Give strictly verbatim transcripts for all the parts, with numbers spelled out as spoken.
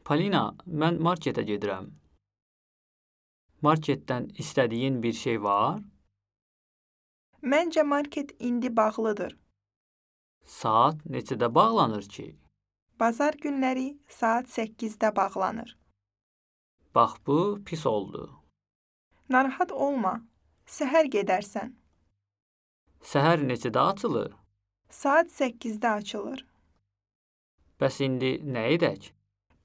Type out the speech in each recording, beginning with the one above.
Polina, mən marketə gedirəm. Marketdən istədiyin bir şey var? Məncə market indi bağlıdır. Saat neçədə bağlanır ki? Bazar günləri saat səkkizdə bağlanır. Bax bu pis oldu. Narahat olma, səhər gedərsən. Səhər neçədə açılır? Saat səkkizdə açılır. Bəs indi nə edək?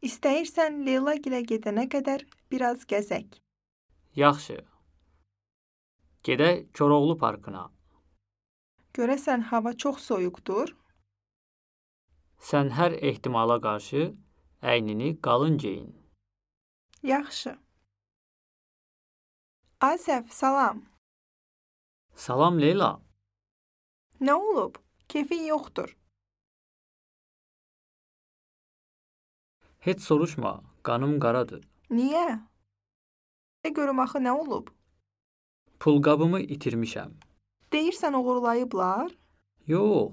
İstəyirsən Leyla gilə gedənə qədər biraz gəzək. Yaxşı. Gedək Koroğlu parkına. Görəsən hava çox soyuqdur? Sən hər ehtimala qarşı əynini qalın geyin. Yaxşı. Asəf, salam. Salam Leyla. Nə olub? Keyfin yoxdur. Heç soruşma, qanım qaradır. Niyə? De görüm axı nə olub? Pulqabımı itirmişəm. Deyirsən oğurlayıblar? Yox,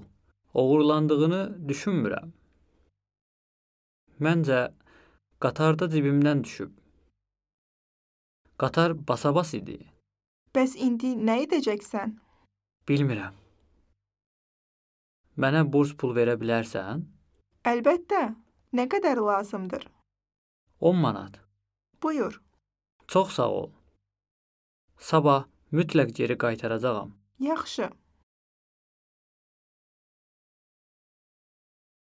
oğurlandığını düşünmürəm. Məncə, qatarda cibimdən düşüb. Qatar basabas idi. Bəs indi nə edəcəksən? Bilmirəm. Mənə burs pul verə bilərsən? Əlbəttə. Nə qədər lazımdır? on manat. Buyur. Çox sağ ol. Sabah mütləq geri qaytaracağam. Yaxşı.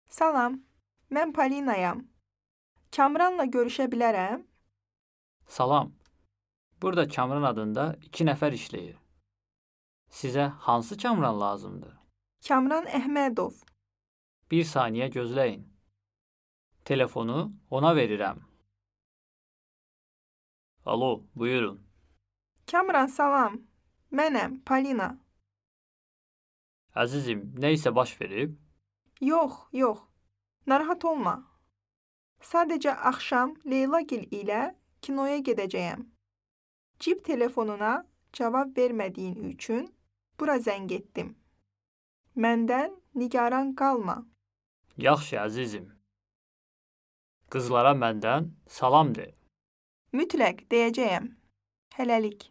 Salam, mən Polinayam. Kamranla görüşə bilərəm? Salam. Burada Kamran adında iki nəfər işləyir. Sizə hansı Kamran lazımdır? Kamran Əhmədov. Bir saniyə gözləyin. Telefonu ona verirəm. Alo, buyurun. Kamran, salam. Mənəm, Polina. Əzizim, nə isə baş verib? Yox, yox. Narahat olma. Sadəcə axşam Leylagil ilə kinoya gedəcəyəm. Cib telefonuna cavab vermədiyin üçün bura zəng etdim. Məndən nigaran qalma. Yaxşı, əzizim. Qızlara məndən salam de. Mütləq deyəcəyəm. Hələlik.